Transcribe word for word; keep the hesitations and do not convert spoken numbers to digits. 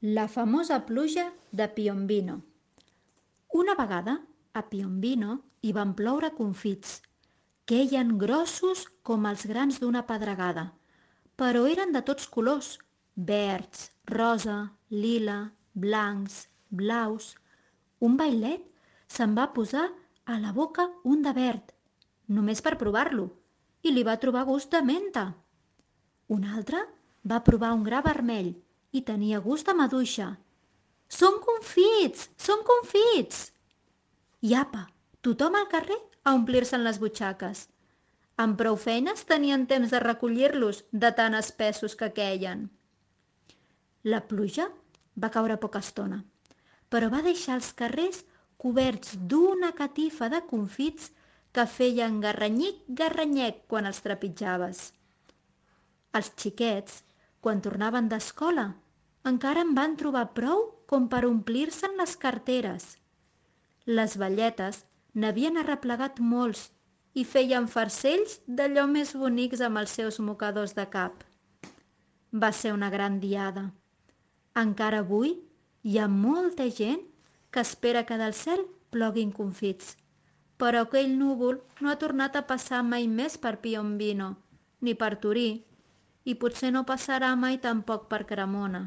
La famosa pluja de Piombino. Una vegada, a Piombino hi van ploure confits. Queien grossos com els grans d'una pedregada, però eren de tots colors: verds, rosa, lila, blancs, blaus. Un vailet se'n va posar a la boca un de verd, només per provar-lo, i li va trobar gust de menta. Un altre va provar un gra vermell i tenia gust de maduixa. «Són confits! Són confits!» I apa, tothom al carrer a omplir-se'n les butxaques. Amb prou feines tenien temps de recollir-los de tan espessos que queien. La pluja va caure poca estona, però va deixar els carrers coberts d'una catifa de confits que feien garranyic-garranyec quan els trepitjaves. Els xiquets, quan tornaven d'escola, encara en van trobar prou com per omplir-se'n les carteres. Les velletes n'havien arreplegat molts i feien farcells d'allò més bonics amb els seus mocadors de cap. Va ser una gran diada. Encara avui hi ha molta gent que espera que del cel ploguin confits, però aquell núvol no ha tornat a passar mai més per Piombino, ni per Torí, i potser no passarà mai tampoc per Cremona.